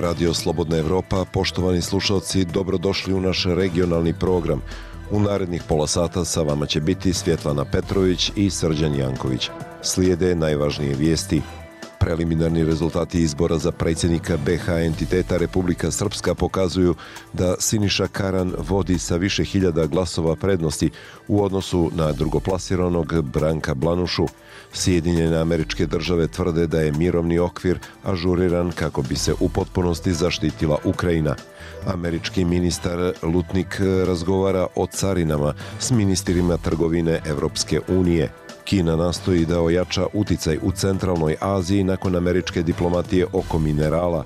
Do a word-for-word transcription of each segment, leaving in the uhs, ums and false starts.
je Radio Slobodna Evropa. Poštovani slušalci, dobrodošli u naš regionalni program. U narednih pola sata sa vama će biti Svjetlana Petrović i Srđan Janković. Slijede najvažnije vijesti. Preliminarni rezultati izbora za predsjednika be ha entiteta Republika Srpska pokazuju da Siniša Karan vodi sa više hiljada glasova prednosti u odnosu na drugoplasiranog Branka Blanušu. Sjedinjene Američke Države tvrde da je mirovni okvir ažuriran kako bi se u potpunosti zaštitila Ukrajina. Američki ministar Lutnik razgovara o carinama s ministrima trgovine Evropske unije. Kina nastoji da ojača uticaj u centralnoj Aziji nakon američke diplomatije oko minerala.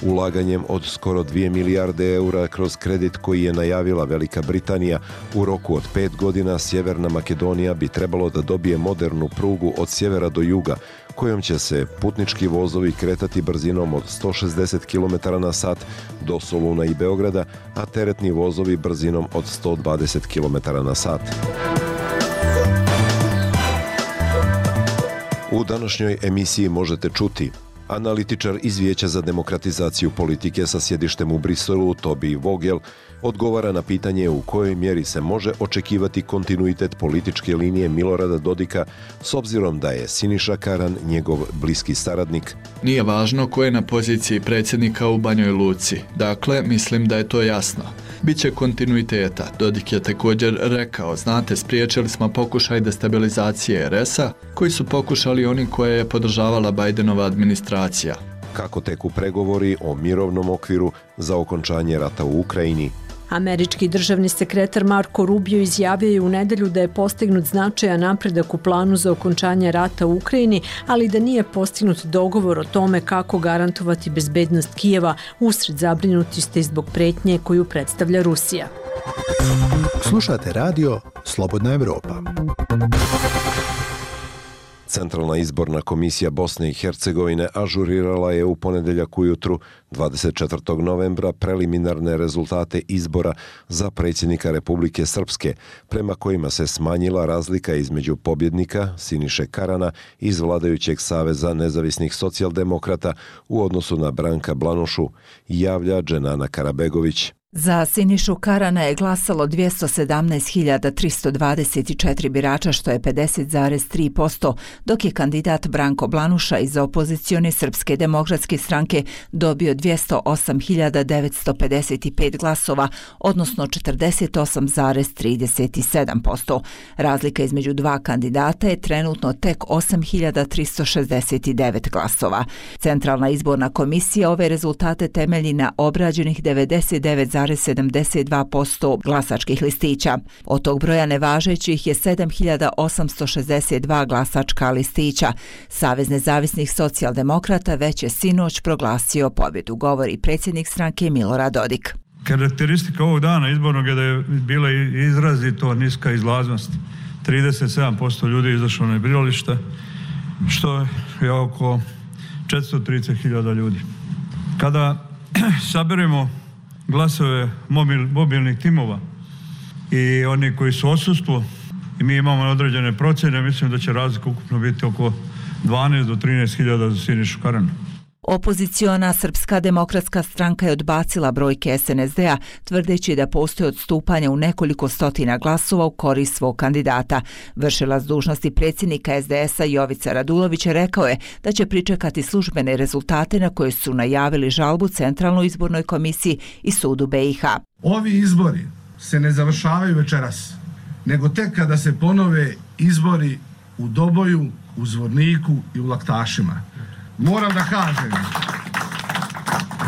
Ulaganjem od skoro dvije milijarde eura kroz kredit koji je najavila Velika Britanija, u roku od pet godina Sjeverna Makedonija bi trebalo da dobije modernu prugu od sjevera do juga, kojom će se putnički vozovi kretati brzinom od sto šezdeset kilometara na sat do Soluna i Beograda, a teretni vozovi brzinom od sto dvadeset kilometara na sat. U današnjoj emisiji možete čuti: analitičar iz Vijeća za demokratizaciju politike sa sjedištem u Briselu, Tobi Vogel, odgovara na pitanje u kojoj mjeri se može očekivati kontinuitet političke linije Milorada Dodika s obzirom da je Siniša Karan njegov bliski saradnik. Nije važno ko je na poziciji predsjednika u Banjoj Luci. Dakle, mislim da je to jasno. Biće kontinuiteta. Dodik je također rekao: znate, spriječili smo pokušaj destabilizacije er es a koji su pokušali oni koje je podržavala Bajdenova administracija. Kako teku pregovori o mirovnom okviru za okončanje rata u Ukrajini? Američki državni sekretar Marko Rubio izjavio je u nedjelju da je postignut značajan napredak u planu za okončanje rata u Ukrajini, ali da nije postignut dogovor o tome kako garantovati bezbednost Kijeva usred zabrinutosti zbog pretnje koju predstavlja Rusija. Slušate radio Slobodna Evropa. Centralna izborna komisija Bosne i Hercegovine ažurirala je u ponedjeljak ujutru dvadeset četvrtog novembra preliminarne rezultate izbora za predsjednika Republike Srpske, prema kojima se smanjila razlika između pobjednika Siniše Karana iz vladajućeg Saveza nezavisnih socijaldemokrata u odnosu na Branka Blanušu, javlja Dženana Karabegović. Za Sinišu Karana je glasalo dvjesto sedamnaest hiljada tristo dvadeset četiri birača, što je pedeset zarez tri posto, dok je kandidat Branko Blanuša iz opozicione Srpske demokratske stranke dobio dvjesto osam hiljada devetsto pedeset pet glasova, odnosno četrdeset osam zarez trideset sedam posto. Razlika između dva kandidata je trenutno tek osam hiljada tristo šezdeset devet glasova. Centralna izborna komisija ove rezultate temelji na obrađenih devedeset devet zarez sedamdeset dva posto glasačkih listića. Od tog broja nevažećih je sedam hiljada osamsto šezdeset dva glasačka listića. Savez nezavisnih socijaldemokrata već je sinoć proglasio pobjedu, govori predsjednik stranke Milorad Dodik. Karakteristika ovog dana izbornog je da je bila izrazito niska izlaznost. trideset sedam posto ljudi je izašlo na birališta, što je oko četiristo trideset hiljada ljudi. Kada saberemo glasove mobil, mobilnih timova i oni koji su odsustvo i mi imamo određene procjene, mislim da će razlika ukupno biti oko dvanaest do trinaest hiljada za Sinišu Karana. Opoziciona Srpska demokratska stranka je odbacila brojke es en es de a, tvrdeći da postoje odstupanja u nekoliko stotina glasova u korist svog kandidata. Vršilac dužnosti predsjednika es de es a Jovica Radulović rekao je da će pričekati službene rezultate na koje su najavili žalbu Centralnoj izbornoj komisiji i sudu be i ha. Ovi izbori se ne završavaju večeras, nego tek kada se ponove izbori u Doboju, u Zvorniku i u Laktašima. Moram da kažem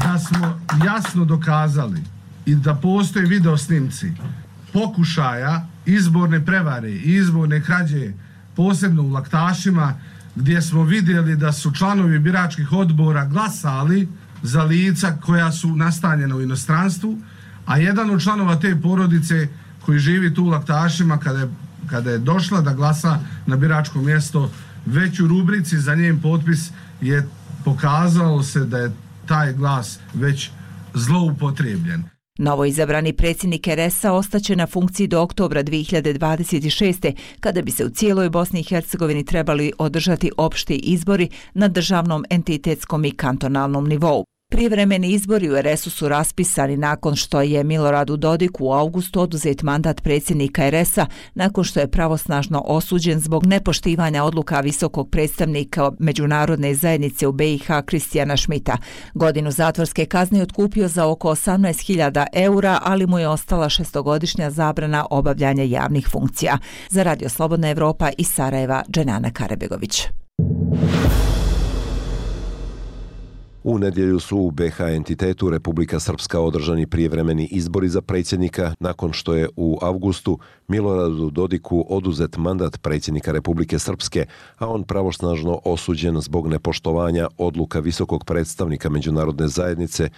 da smo jasno dokazali i da postoje video snimci pokušaja izborne prevare i izborne krađe, posebno u Laktašima, gdje smo vidjeli da su članovi biračkih odbora glasali za lica koja su nastanjena u inostranstvu, a jedan od članova te porodice koji živi tu u Laktašima, kada je, kada je došla da glasa na biračko mjesto, već u rubrici za njen potpis je pokazalo se da je taj glas već zloupotrebljen. Novoizabrani predsjednik er es a ostaće na funkciji do oktobra dvije hiljade dvadeset šeste. kada bi se u cijeloj Bosni i Hercegovini trebali održati opšti izbori na državnom, entitetskom i kantonalnom nivou. Prijevremeni izbori u er es u su raspisani nakon što je Miloradu Dodiku u avgustu oduzet mandat predsjednika er es a nakon što je pravosnažno osuđen zbog nepoštivanja odluka visokog predstavnika međunarodne zajednice u be i ha Kristijana Šmita. Godinu zatvorske kazne je otkupio za oko osamnaest hiljada eura, ali mu je ostala šestogodišnja zabrana obavljanja javnih funkcija. Za Radio Slobodna Evropa iz Sarajeva, Dženana Karabegović. U nedjelju su u be ha entitetu Republika Srpska održani prijevremeni izbori za predsjednika nakon što je u avgustu Miloradu Dodiku oduzet mandat predsjednika Republike Srpske, a on pravosnažno osuđen zbog nepoštovanja odluka visokog predstavnika međunarodne zajednice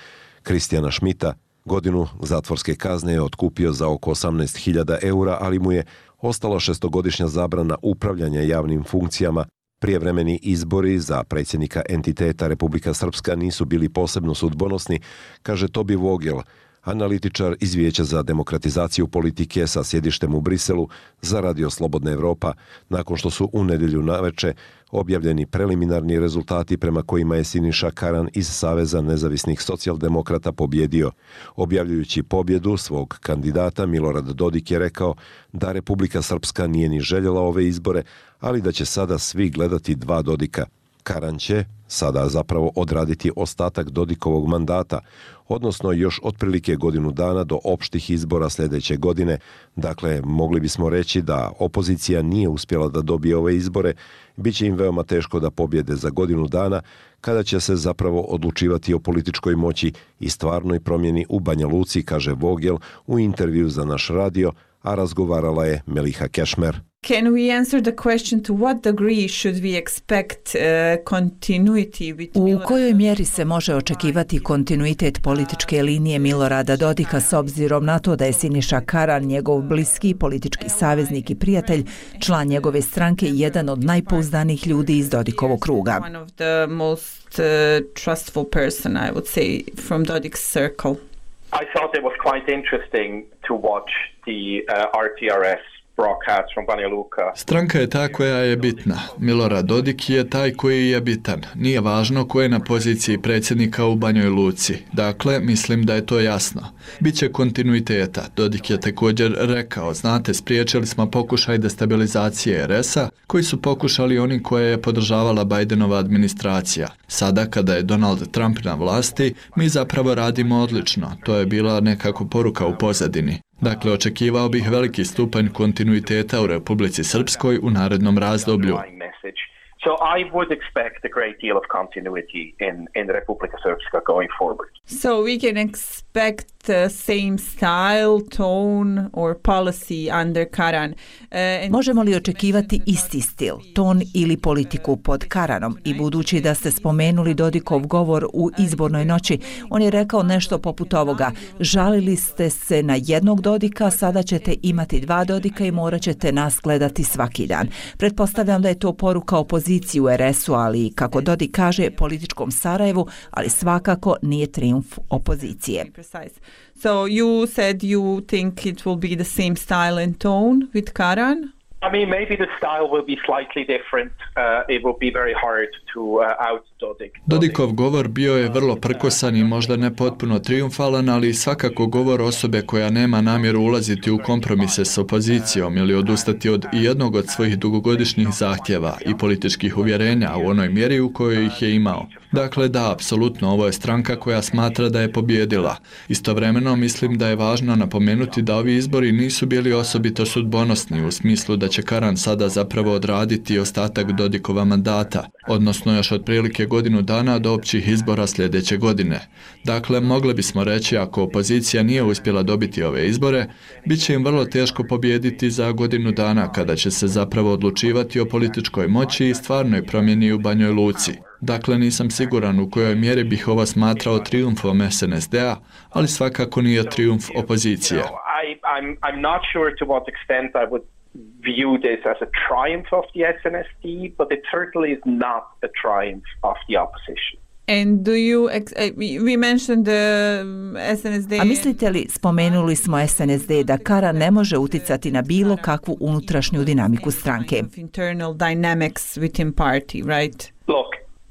Kristijana Šmita. Godinu zatvorske kazne je otkupio za oko osamnaest hiljada eura, ali mu je ostala šestogodišnja zabrana upravljanja javnim funkcijama. Prijevremeni izbori za predsjednika entiteta Republika Srpska nisu bili posebno sudbonosni, kaže Tobi Vogel, analitičar iz Vijeća za demokratizaciju politike sa sjedištem u Briselu za Radio Slobodna Evropa, nakon što su u nedjelju naveče objavljeni preliminarni rezultati prema kojima je Siniša Karan iz Saveza nezavisnih socijaldemokrata pobjedio. Objavljujući pobjedu svog kandidata, Milorad Dodik je rekao da Republika Srpska nije ni željela ove izbore, ali da će sada svi gledati dva Dodika. Karan će sada zapravo odraditi ostatak Dodikovog mandata, odnosno još otprilike godinu dana do opštih izbora sljedeće godine. Dakle, mogli bismo reći da opozicija nije uspjela da dobije ove izbore, bit će im veoma teško da pobjede za godinu dana, kada će se zapravo odlučivati o političkoj moći i stvarnoj promjeni u Banja Luci, kaže Vogel u intervju za naš radio, a razgovarala je Meliha Kešmer. Can we answer the question to what degree should we expect uh, continuity with U kojoj mjeri se može očekivati kontinuitet političke linije Milorada Dodika s obzirom na to da je Siniša Karan njegov bliski politički saveznik i prijatelj, član njegove stranke i jedan od najpouzdanijih ljudi iz Dodikovog kruga? One of the most uh, trustful person, I would say, from Dodik's circle. I thought it was quite interesting to watch the uh, R T R S broadcast from Banja Luka. Stranka je ta koja je bitna. Milorad Dodik je taj koji je bitan. Nije važno ko je na poziciji predsjednika u Banjoj Luci. Dakle, mislim da je to jasno. Biće kontinuiteta. Dodik je također rekao, znate, spriječili smo pokušaj destabilizacije er es a, koji su pokušali oni koje je podržavala Bidenova administracija. Sada, kada je Donald Trump na vlasti, mi zapravo radimo odlično. To je bila nekako poruka u pozadini. Dakle, očekivao bih veliki stupanj kontinuiteta u Republici Srpskoj u narednom razdoblju. So I would expect a great deal of continuity in, in Republika Srpska going forward. So we can expect the same style, tone or policy under Karan. Uh, and... Možemo li očekivati isti stil, ton ili politiku pod Karanom? I budući da ste spomenuli Dodikov govor u izbornoj noći, on je rekao nešto poput ovoga: žalili ste se na jednog Dodika, sada ćete imati dva Dodika i morat ćete nas gledati svaki dan. Pretpostavljam da je to poruka opoziciji u er es u, ali kako Dodik kaže, političkom Sarajevu, ali svakako nije trijumf opozicije. So you said you think it will be the same style and tone with Karan? I mean, maybe the style will be slightly different. Uh, it will be very hard to uh, out Dodik. Dodikov govor bio je vrlo prkosan i možda ne potpuno triumfalan, ali svakako govor osobe koja nema namjeru ulaziti u kompromise s opozicijom ili odustati od jednog od svojih dugogodišnjih zahtjeva i političkih uvjerenja u onoj mjeri u kojoj ih je imao. Dakle, da, apsolutno, ovo je stranka koja smatra da je pobjedila. Istovremeno, mislim da je važno napomenuti da ovi izbori nisu bili osobito sudbonosni u smislu da će Karan sada zapravo odraditi ostatak Dodikova mandata, odnosno još otprilike godinu dana do općih izbora sljedeće godine. Dakle, mogli bismo reći, ako opozicija nije uspjela dobiti ove izbore, bit će im vrlo teško pobijediti za godinu dana kada će se zapravo odlučivati o političkoj moći i stvarnoj promjeni u Banjoj Luci. Dakle, nisam siguran u kojoj mjeri bih ovo smatrao trijumfom es en es de a, ali svakako nije trijumf opozicije. No, I, I'm, I'm not sure to what extent I would view this as a triumph of the es en es de, but it certainly is not a triumph of the opposition. And do you ex- we mentioned the es en es de. A mislite li, spomenuli smo es en es de, da Karan ne može uticati na bilo kakvu unutrašnju dinamiku stranke? Internal dynamics within party, right? Look,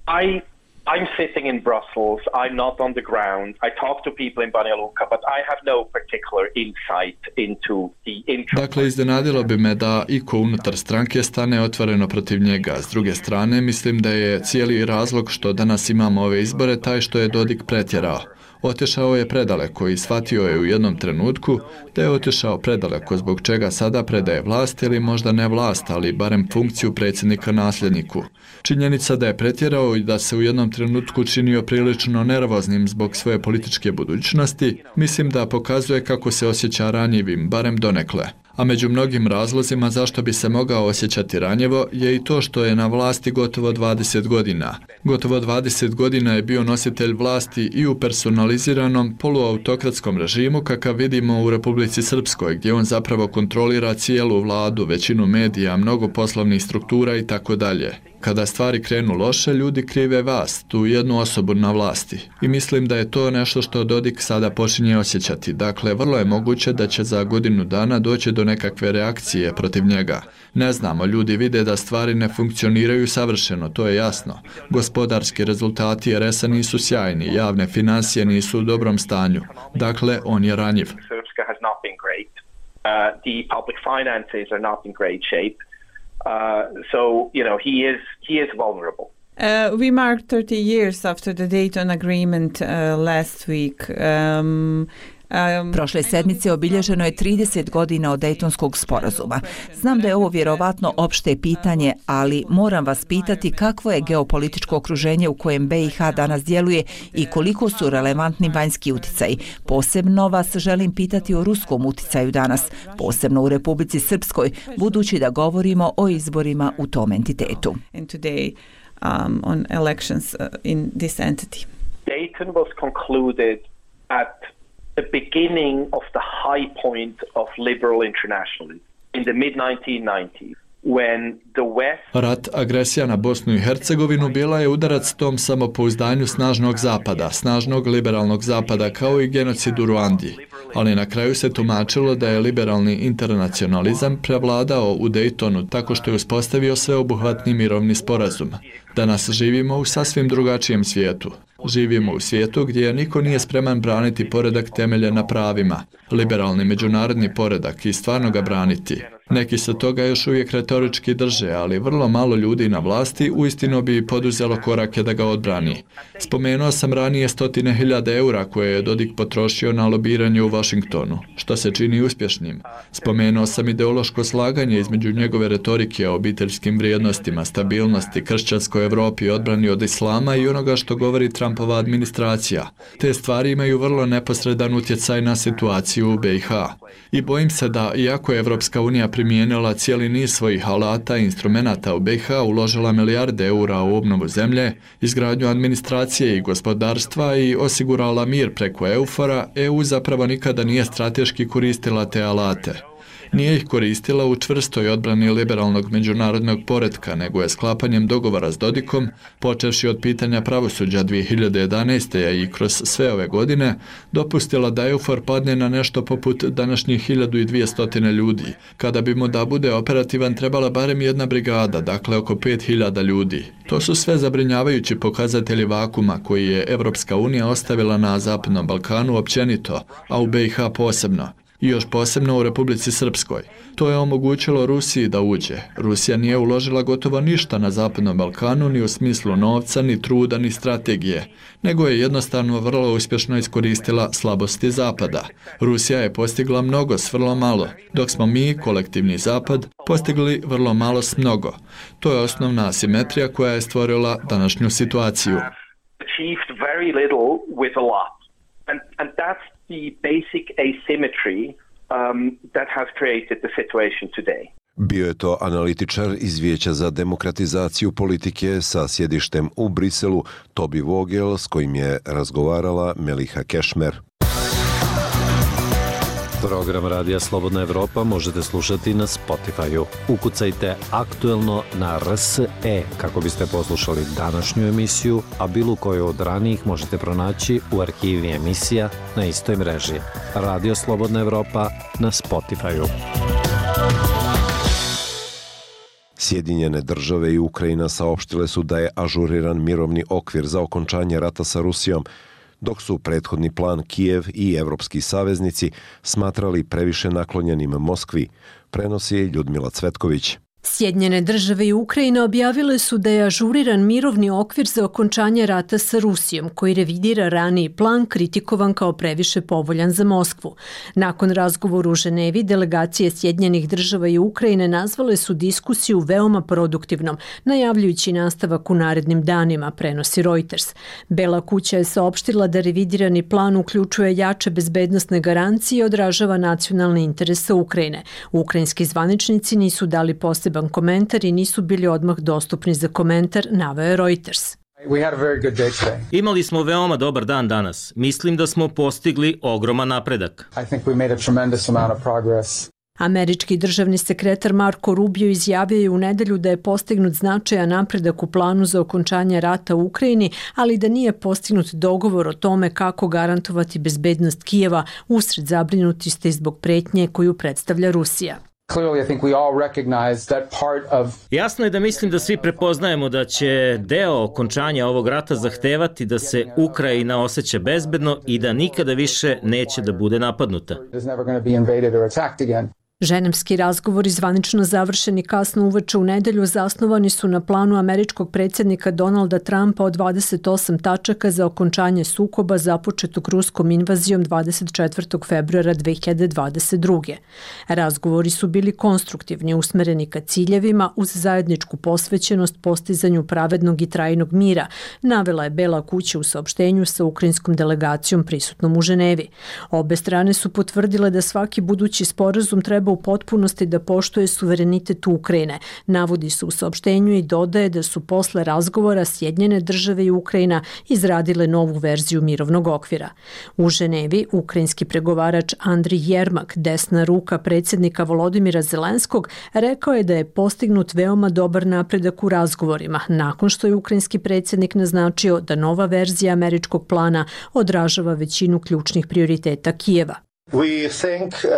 I I'm sitting in Brussels. I'm not on the ground. I talk to people in Banja Luka, but I have no particular insight into the interest. Dakle, iznenadilo bi me da iko unutar stranke stane otvoreno protiv njega. S druge strane, mislim da je cijeli razlog što danas imamo ove izbore taj što je Dodik pretjerao. Otišao je predaleko i shvatio je u jednom trenutku da je otišao predaleko zbog čega sada predaje vlast ili možda ne vlast, ali barem funkciju predsjednika nasljedniku. Činjenica da je pretjerao i da se u jednom trenutku činio prilično nervoznim zbog svoje političke budućnosti, mislim da pokazuje kako se osjeća ranjivim, barem donekle. A među mnogim razlozima zašto bi se mogao osjećati ranjivo je i to što je na vlasti gotovo dvadeset godina. Gotovo dvadeset godina je bio nositelj vlasti i u personaliziranom poluautokratskom režimu kakav vidimo u Republici Srpskoj, gdje on zapravo kontrolira cijelu vladu, većinu medija, mnogo poslovnih struktura i tako dalje. Kada stvari krenu loše, ljudi krive vas, tu jednu osobu na vlasti. I mislim da je to nešto što Dodik sada počinje osjećati. Dakle, vrlo je moguće da će za godinu dana doći do nekakve reakcije protiv njega. Ne znamo, ljudi vide da stvari ne funkcioniraju savršeno, to je jasno. Gospodarski rezultati er es a nisu sjajni, javne financije nisu u dobrom stanju. Dakle, on je ranjiv. Srpska has not been great. Uh, the public finances are not in great shape. Uh, so, you know, he is he is vulnerable. Uh, we marked thirty years after the Dayton Agreement uh, last week. Um, Um, Prošle sedmice obilježeno je trideset godina od Dejtonskog sporazuma. Znam da je ovo vjerovatno opšte pitanje, ali moram vas pitati kakvo je geopolitičko okruženje u kojem be i ha danas djeluje i koliko su relevantni vanjski utjecaji. Posebno vas želim pitati o ruskom utjecaju danas, posebno u Republici Srpskoj, budući da govorimo o izborima u tom entitetu. Today, um, on elections uh, in this entity. Dayton was concluded at the beginning of the high point of liberal internationalism in the mid nineteen nineties. When the West... Rat, agresija na Bosnu i Hercegovinu bila je udarac tom samopouzdanju snažnog zapada, snažnog liberalnog zapada kao i genocid u Ruandi. Ali na kraju se tumačilo da je liberalni internacionalizam prevladao u Daytonu tako što je uspostavio sveobuhvatni mirovni sporazum. Danas živimo u sasvim drugačijem svijetu. Živimo u svijetu gdje niko nije spreman braniti poredak temeljen na pravima, liberalni međunarodni poredak i stvarno ga braniti. Neki se toga još uvijek retorički drže, ali vrlo malo ljudi na vlasti uistinu bi poduzelo korake da ga odbrani. Spomenuo sam ranije stotine hiljada eura koje je Dodik potrošio na lobiranje u Washingtonu, što se čini uspješnim. Spomenuo sam ideološko slaganje između njegove retorike o obiteljskim vrijednostima, stabilnosti, kršćanskoj Evropi, odbrani od islama i onoga što govori Trumpova administracija. Te stvari imaju vrlo neposredan utjecaj na situaciju u be i ha. I bojim se da, iako je Evropska unija primijenila cijeli niz svojih alata i instrumenata u be i ha, uložila milijarde eura u obnovu zemlje, izgradnju administracije i gospodarstva i osigurala mir preko eufora, e u zapravo nikada nije strateški koristila te alate. Nije ih koristila u čvrstoj odbrani liberalnog međunarodnog poretka, nego je sklapanjem dogovora s Dodikom, počevši od pitanja pravosuđa dvije hiljade jedanaeste. i kroz sve ove godine, dopustila da EUFOR padne na nešto poput današnjih hiljadu dvjesto ljudi. Kada bi mu da bude operativan trebala barem jedna brigada, dakle oko pet hiljada ljudi. To su sve zabrinjavajući pokazatelji vakuma koji je Evropska unija ostavila na Zapadnom Balkanu općenito, a u be i ha posebno. I još posebno u Republici Srpskoj. To je omogućilo Rusiji da uđe. Rusija nije uložila gotovo ništa na Zapadnom Balkanu ni u smislu novca, ni truda, ni strategije, nego je jednostavno vrlo uspješno iskoristila slabosti Zapada. Rusija je postigla mnogo s vrlo malo, dok smo mi, kolektivni Zapad, postigli vrlo malo s mnogo. To je osnovna asimetrija koja je stvorila današnju situaciju. And, and that's the basic asymmetry um, that has created the situation today. Bio je to analitičar iz Vijeća za demokratizaciju politike sa sjedištem u Briselu, Tobi Vogel, s kojim je razgovarala Meliha Kešmer. Program Radija Slobodna Evropa možete slušati na Spotify-u. Ukucajte aktuelno na R S E kako biste poslušali današnju emisiju, a bilo koju od ranijih možete pronaći u arhivi emisija na istoj mreži. Radio Slobodna Evropa na Spotify-u. Sjedinjene države i Ukrajina saopštile su da je ažuriran mirovni okvir za okončanje rata sa Rusijom, dok su prethodni plan Kijev i evropski saveznici smatrali previše naklonjenim Moskvi, prenosi Ljudmila Cvetković. Sjedinjene države i Ukrajina objavile su da je ažuriran mirovni okvir za okončanje rata sa Rusijom, koji revidira raniji plan kritikovan kao previše povoljan za Moskvu. Nakon razgovora u Ženevi, delegacije Sjedinjenih država i Ukrajine nazvale su diskusiju veoma produktivnom, najavljujući nastavak u narednim danima, prenosi Reuters. Bela kuća je saopštila da revidirani plan uključuje jače bezbednosne garancije i odražava nacionalne interese Ukrajine. Ukrajinski zvaničnici nisu dali posebno komentar i nisu bili odmah dostupni za komentar, naveo je Reuters. Imali smo veoma dobar dan danas. Mislim da smo postigli ogroman napredak. Američki državni sekretar Marko Rubio izjavio je u nedelju da je postignut značajan napredak u planu za okončanje rata u Ukrajini, ali da nije postignut dogovor o tome kako garantovati bezbednost Kijeva usred zabrinutosti zbog pretnje koju predstavlja Rusija. Jasno je da mislim da svi prepoznajemo da će deo okončanja ovog rata zahtevati da se Ukrajina osjeća bezbedno i da nikada više neće da bude napadnuta. Ženevski razgovori zvanično završeni kasno uveče u nedelju zasnovani su na planu američkog predsjednika Donalda Trumpa od dvadeset osam tačaka za okončanje sukoba započetog ruskom invazijom dvadeset četvrtog februara dve hiljade dvadeset druge. Razgovori su bili konstruktivni, usmereni ka ciljevima uz zajedničku posvećenost postizanju pravednog i trajnog mira, navela je Bela kuća u saopštenju sa ukrajinskom delegacijom prisutnom u Ženevi. Obe strane su potvrdile da svaki budući sporazum treba u potpunosti da poštuje suverenitet Ukrajine. Navodi se u saopštenju i dodaje da su posle razgovora Sjedinjene države i Ukrajina izradile novu verziju mirovnog okvira. U Ženevi ukrajinski pregovarač Andrij Jermak, desna ruka predsjednika Volodimira Zelenskog, rekao je da je postignut veoma dobar napredak u razgovorima, nakon što je ukrajinski predsjednik naznačio da nova verzija američkog plana odražava većinu ključnih prioriteta Kijeva. We thank uh,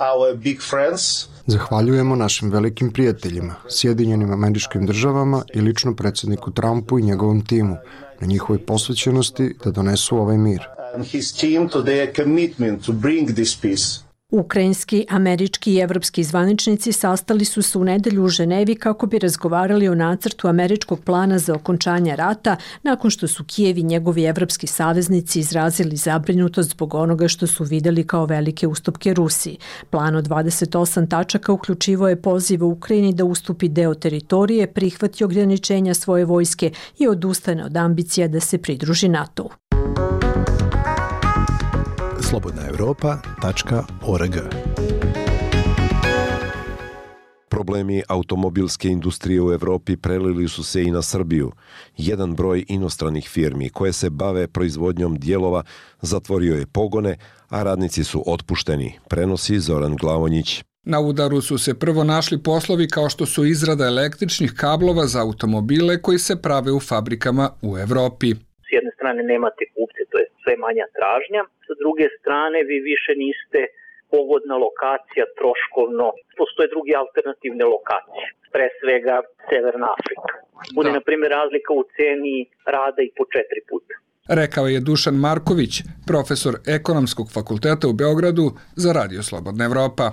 our big friends. Zahvaljujemo našim velikim prijateljima, Sjedinjenim Američkim Državama i lično predsjedniku Trumpu i njegovom timu na njihovoj posvećenosti da donesu ovaj mir. And his team to their commitment to bring this peace. Ukrajinski, američki i evropski zvaničnici sastali su se u nedelju u Ženevi kako bi razgovarali o nacrtu američkog plana za okončanje rata nakon što su Kijev i njegovi evropski saveznici izrazili zabrinutost zbog onoga što su videli kao velike ustupke Rusiji. Plan od dvadeset osam tačaka uključivo je poziv u Ukrajini da ustupi deo teritorije, prihvati ograničenja svoje vojske i odustane od ambicija da se pridruži NATO-u. slobodna europa tačka org. Problemi automobilske industrije u Evropi prelili su se i na Srbiju. Jedan broj inostranih firmi koje se bave proizvodnjom dijelova zatvorio je pogone, a radnici su otpušteni, prenosi Zoran Glavonjić. Na udaru su se prvo našli poslovi kao što su izrada električnih kablova za automobile koji se prave u fabrikama u Evropi. S jedne strane nemate kupce, to je sve manja tražnja, sa druge strane vi više niste pogodna lokacija troškovno, postoje druge alternativne lokacije, pre svega Severna Afrika. Bude, na primjer, razlika u ceni rada i po četiri puta. Rekao je Dušan Marković, profesor Ekonomskog fakulteta u Beogradu za Radio Slobodna Evropa.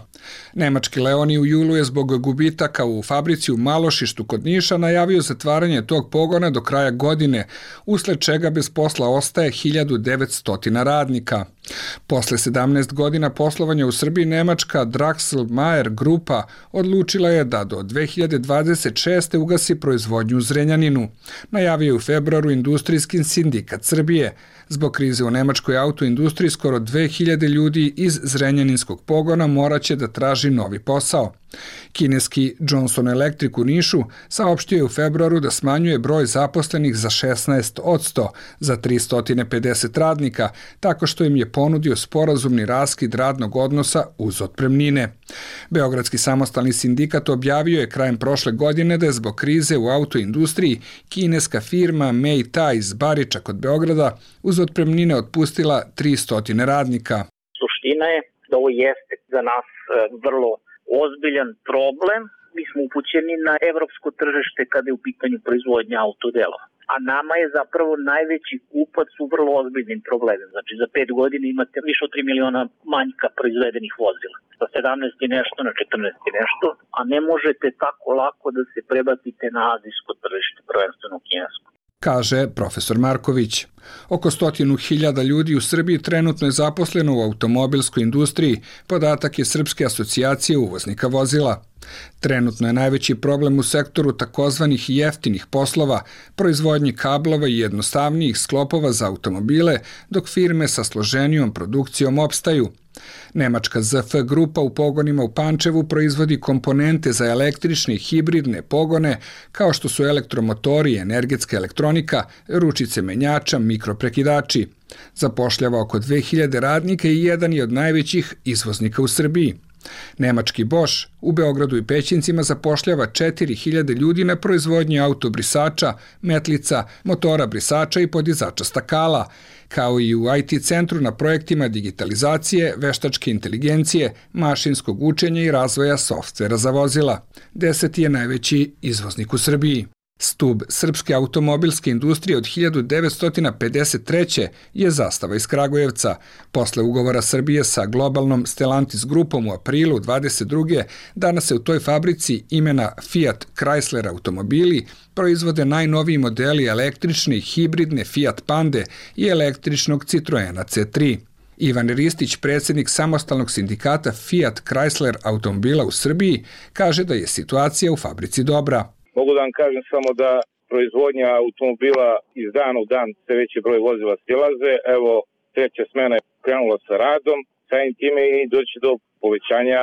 Nemački Leoni u julu je zbog gubitaka u fabrici u Malošištu kod Niša najavio zatvaranje tog pogona do kraja godine, usled čega bez posla ostaje hiljadu devetsto radnika. Posle sedamnaest godina poslovanja u Srbiji, nemačka Draxl-Mayer grupa odlučila je da do dve hiljade dvadeset šeste ugasi proizvodnju u Zrenjaninu. Najavio je u februaru Industrijski sindikat Srbije. Zbog krize u nemačkoj autoindustriji skoro dve hiljade ljudi iz Zrenjaninskog pogona moraće da traži novi posao. Kineski Johnson Electric u Nišu saopštio je u februaru da smanjuje broj zaposlenih za šesnaest posto za tristo pedeset radnika, tako što im je ponudio sporazumni raskid radnog odnosa uz otpremnine. Beogradski samostalni sindikat objavio je krajem prošle godine da je zbog krize u autoindustriji kineska firma Mei-Ta iz Bariča kod Beograda uz otpremnine otpustila tristo radnika. Suština je da ovo jeste za nas vrlo ozbiljan problem mi smo upućeni na evropsko tržište kada je u pitanju proizvodnja autodelova. A nama je zapravo najveći kupac u vrlo ozbiljnim problemima. Znači za pet godina imate više od tri miliona manjka proizvedenih vozila. Sa sedamnaest i nešto na četrnaest i nešto, a ne možete tako lako da se prebacite na azijsko tržište, prvenstveno kinesko. Kaže profesor Marković. Oko stotinu hiljada ljudi u Srbiji trenutno je zaposleno u automobilskoj industriji, podatak je Srpske asocijacije uvoznika vozila. Trenutno je najveći problem u sektoru takozvanih jeftinih poslova, proizvodnji kablova i jednostavnijih sklopova za automobile, dok firme sa složenijom produkcijom opstaju. Nemačka Z F grupa u pogonima u Pančevu proizvodi komponente za električne i hibridne pogone, kao što su elektromotori, energetska elektronika, ručice menjača, mikroprekidači. Zapošljava oko dve hiljade radnika i jedan je od najvećih izvoznika u Srbiji. Nemački Bosch u Beogradu i Pećincima zapošljava četiri hiljade ljudi na proizvodnji autobrisača, metlica, motora brisača i podizača stakala, kao i u I T centru na projektima digitalizacije, veštačke inteligencije, mašinskog učenja i razvoja softvera za vozila. Deseti je najveći izvoznik u Srbiji. Stub srpske automobilske industrije od hiljadu devetsto pedeset treće je zastava iz Kragujevca. Posle ugovora Srbije sa globalnom Stellantis grupom u aprilu dvadeset druge danas se u toj fabrici imena Fiat Chrysler automobili proizvode najnoviji modeli električne i hibridne Fiat Pande i električnog Citroena C tri. Ivan Ristić, predsjednik samostalnog sindikata Fiat Chrysler automobila u Srbiji, kaže da je situacija u fabrici dobra. Mogu da vam kažem samo da proizvodnja automobila iz dana u dan sve veći broj vozila stilaze. Evo, treća smena je krenula sa radom, samim time i doći do povećanja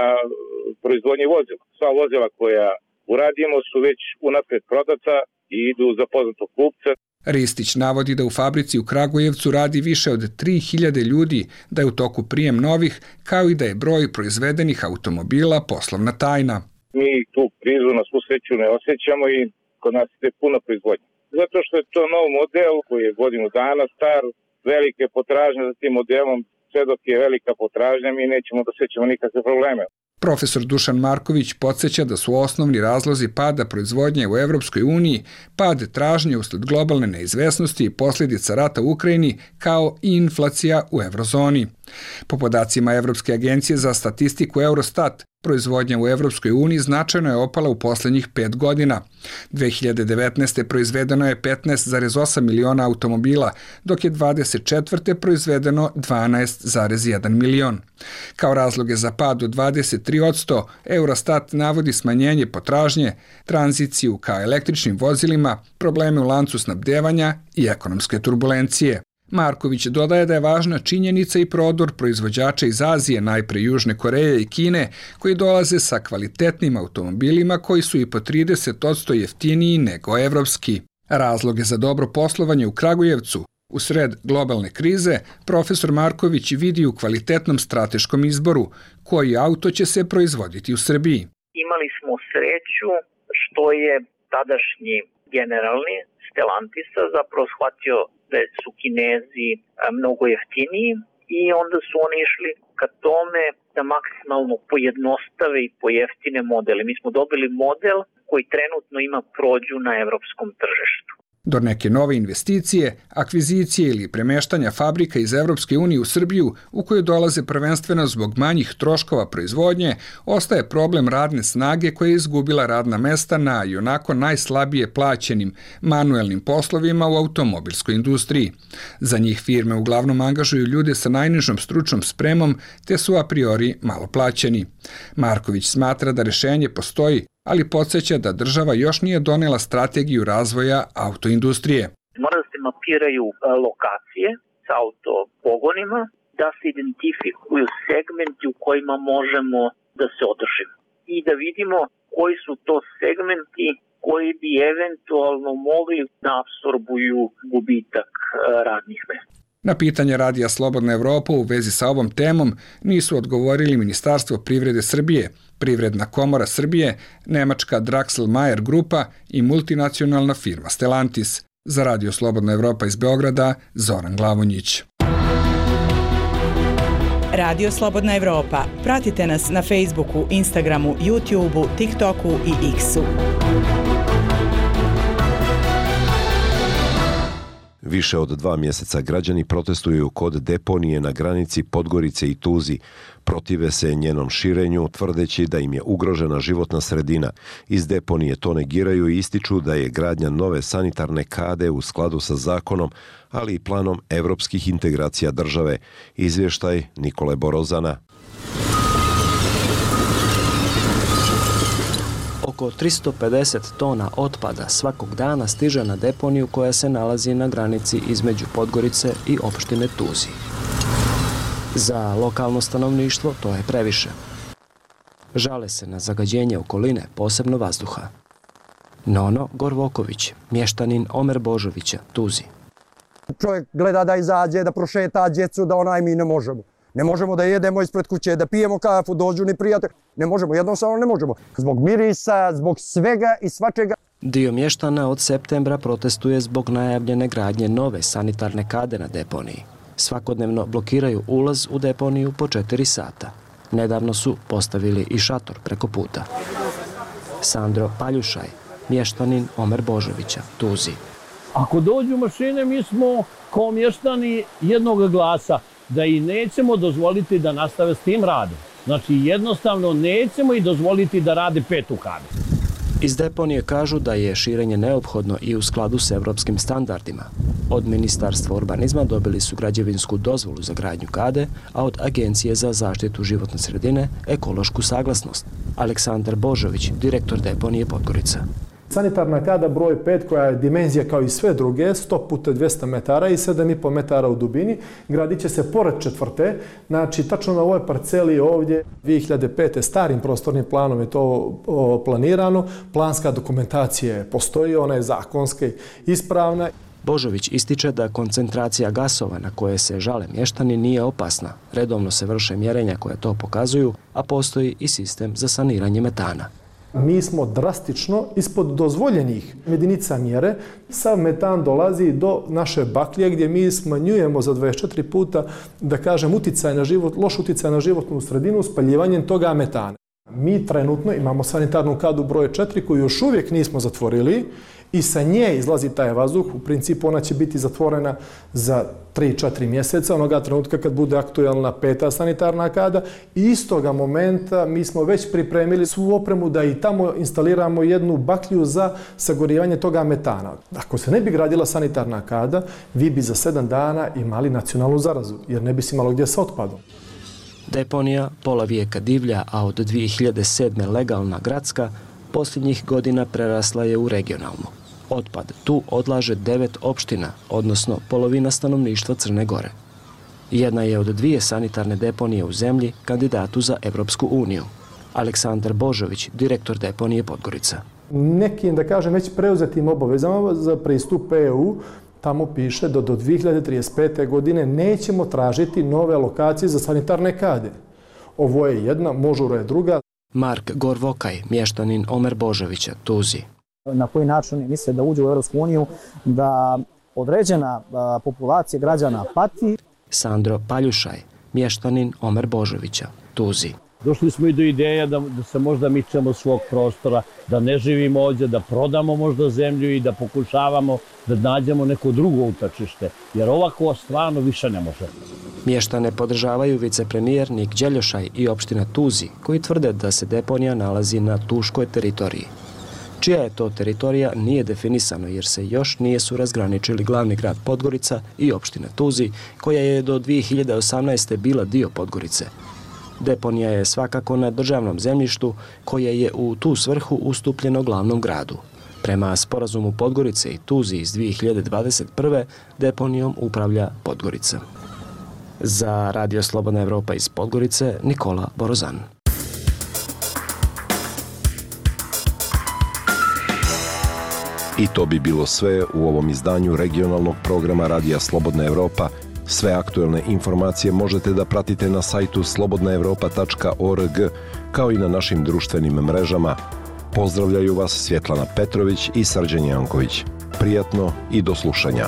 proizvodnje vozila. Sva vozila koja uradimo su već unapred prodata i idu za poznatog kupca. Ristić navodi da u fabrici u Kragujevcu radi više od tri hiljade ljudi, da je u toku prijem novih, kao i da je broj proizvedenih automobila poslovna tajna. Mi tu krizu na svu sreću ne osjećamo i kod nas je puno proizvodnja. Zato što je to nov model koji je godinu dana star, velike potražnje za tim modelom, sve dok je velika potražnja mi nećemo da osjećamo nikakve probleme. Profesor Dušan Marković podsjeća da su osnovni razlozi pada proizvodnje u Evropskoj uniji pad tražnje usled globalne neizvesnosti i posljedica rata u Ukrajini, kao i inflacija u eurozoni. Po podacima Evropske agencije za statistiku Eurostat, proizvodnja u Evropskoj uniji značajno je opala u posljednjih pet godina. dve hiljade devetnaeste. proizvedeno je petnaest zarez osam miliona automobila, dok je dvadeset četvrte. proizvedeno dvanaest zarez jedan milion. Kao razloge za pad od dvadeset tri posto, Eurostat navodi smanjenje potražnje, tranziciju ka električnim vozilima, probleme u lancu snabdevanja i ekonomske turbulencije. Marković dodaje da je važna činjenica i prodor proizvođača iz Azije, najpre Južne Koreje i Kine, koji dolaze sa kvalitetnim automobilima koji su i po trideset posto jeftiniji nego evropski. Razloge za dobro poslovanje u Kragujevcu u sred globalne krize profesor Marković vidi u kvalitetnom strateškom izboru, koji auto će se proizvoditi u Srbiji. Imali smo sreću što je tadašnji generalni Stellantisa zapravo shvatio da su Kinezi mnogo jeftiniji i onda su oni išli ka tome da maksimalno pojednostave i pojeftine modele. Mi smo dobili model koji trenutno ima prođu na evropskom tržištu. Do neke nove investicije, akvizicije ili premeštanja fabrika iz Evropske unije u Srbiju, u koju dolaze prvenstveno zbog manjih troškova proizvodnje, ostaje problem radne snage koja je izgubila radna mesta na i onako najslabije plaćenim manuelnim poslovima u automobilskoj industriji. Za njih firme uglavnom angažuju ljude sa najnižom stručnom spremom, te su a priori malo plaćeni. Marković smatra da rešenje postoji, ali podsjeća da država još nije donela strategiju razvoja autoindustrije. Mora da se mapiraju lokacije sa autopogonima, da se identifikuju segmenti u kojima možemo da se održimo i da vidimo koji su to segmenti koji bi eventualno mogli da apsorbuju gubitak radnih mesta. Na pitanje Radija Slobodna Evropa u vezi sa ovom temom nisu odgovorili Ministarstvo privrede Srbije, Privredna komora Srbije, nemačka Draxl Mayer grupa i multinacionalna firma Stellantis. Za Radio Slobodna Evropa iz Beograda, Zoran Glavonjić. Radio Slobodna Evropa. Pratite nas na Facebooku, Instagramu, YouTubeu, TikToku i X-u. Više od dva mjeseca građani protestuju kod deponije na granici Podgorice i Tuzi. Protive se njenom širenju, tvrdeći da im je ugrožena životna sredina. Iz deponije to negiraju i ističu da je gradnja nove sanitarne kade u skladu sa zakonom, ali i planom evropskih integracija države. Izvještaj Nikole Borozana. Oko tristo pedeset tona otpada svakog dana stiže na deponiju koja se nalazi na granici između Podgorice i opštine Tuzi. Za lokalno stanovništvo to je previše. Žale se na zagađenje okoline, posebno vazduha. Nono Gorvoković, mještanin Omer Božovića, Tuzi. Čovjek gleda da izađe, da prošeta djecu, da onaj mi ne možemo. Ne možemo da jedemo ispred kuće, da pijemo kafu, dođu ni prijatelj. Ne možemo, jednostavno ne možemo. Zbog mirisa, zbog svega i svačega. Dio mještana od septembra protestuje zbog najavljene gradnje nove sanitarne kade na deponiji. Svakodnevno blokiraju ulaz u deponiju po četiri sata. Nedavno su postavili i šator preko puta. Sandro Paljušaj, mještanin Omer Božovića, Tuzi. Ako dođu mašine, mi smo kao mještani jednog glasa, da i nećemo dozvoliti da nastave s tim radom. Znači jednostavno nećemo i dozvoliti da rade petu kadu. Iz deponije kažu da je širenje neophodno i u skladu s evropskim standardima. Od Ministarstva urbanizma dobili su građevinsku dozvolu za gradnju kade, a od Agencije za zaštitu životne sredine ekološku saglasnost. Aleksandar Božović, direktor deponije Podgorica. Sanitarna kada broj pet, koja je dimenzija kao i sve druge, sto puta dvjesto metara i sedam i pol metara u dubini, gradit će se pored četvrte. Znači, tačno na ovoj parceli ovdje, dvije hiljade pete. starim prostornim planom je to planirano. Planska dokumentacija postoji, ona je zakonska i ispravna. Božović ističe da koncentracija gasova na koje se žale mještani nije opasna. Redovno se vrše mjerenja koja to pokazuju, a postoji i sistem za saniranje metana. Mi smo drastično ispod dozvoljenih jedinica mjere. Sav metan dolazi do naše baklje gdje mi smanjujemo za dvadeset četiri puta, da kažem, uticaj na život, loš uticaj na životnu sredinu spaljivanjem toga metana. Mi trenutno imamo sanitarnu kadu broj četiri koju još uvijek nismo zatvorili i sa nje izlazi taj vazduh. U principu ona će biti zatvorena za tri četiri mjeseca, onoga trenutka kad bude aktualna peta sanitarna kada. I istoga momenta mi smo već pripremili svu opremu da i tamo instaliramo jednu baklju za sagorivanje toga metana. Ako se ne bi gradila sanitarna kada, vi bi za sedam dana imali nacionalnu zarazu, jer ne bi se imalo gdje sa otpadom. Deponija pola vijeka divlja, a od dvije hiljade sedme legalna gradska, posljednjih godina prerasla je u regionalnu. Otpad tu odlaže devet opština, odnosno polovina stanovništva Crne Gore. Jedna je od dvije sanitarne deponije u zemlji kandidatu za Evropsku uniju. Aleksandar Božović, direktor deponije Podgorica. Nekim, da kažem, već preuzetim obavezama za pristup E U, tamo piše da do dvije hiljade trideset pete. godine nećemo tražiti nove lokacije za sanitarne kade. Ovo je jedna, Možura je druga. Mark Gorvokaj, mještanin Omer Božovića, Tuzi. Na koji način misle da uđe u Evropsku uniju, da određena populacija građana pati. Sandro Paljušaj, mještanin Omer Božovića, Tuzi. Došli smo i do ideja da, da se možda mičemo svog prostora, da ne živimo ovdje, da prodamo možda zemlju i da pokušavamo da nađemo neko drugo utočište, jer ovako stvarno više ne može. Mještane podržavaju vicepremijer Nik Đeljošaj i opština Tuzi, koji tvrde da se deponija nalazi na tuškoj teritoriji. Čija je to teritorija nije definisano jer se još nije su razgraničili glavni grad Podgorica i opština Tuzi, koja je do dvije hiljade osamnaeste. bila dio Podgorice. Deponija je svakako na državnom zemljištu koje je u tu svrhu ustupljeno glavnom gradu. Prema sporazumu Podgorice i Tuzi iz dvije hiljade dvadeset prve. deponijom upravlja Podgorica. Za Radio Slobodna Evropa iz Podgorice, Nikola Borozan. I to bi bilo sve u ovom izdanju regionalnog programa Radija Slobodna Evropa. Sve aktuelne informacije možete da pratite na sajtu slobodna evropa tačka org, kao i na našim društvenim mrežama. Pozdravljaju vas Svjetlana Petrović i Srđan Janković. Prijatno i do slušanja.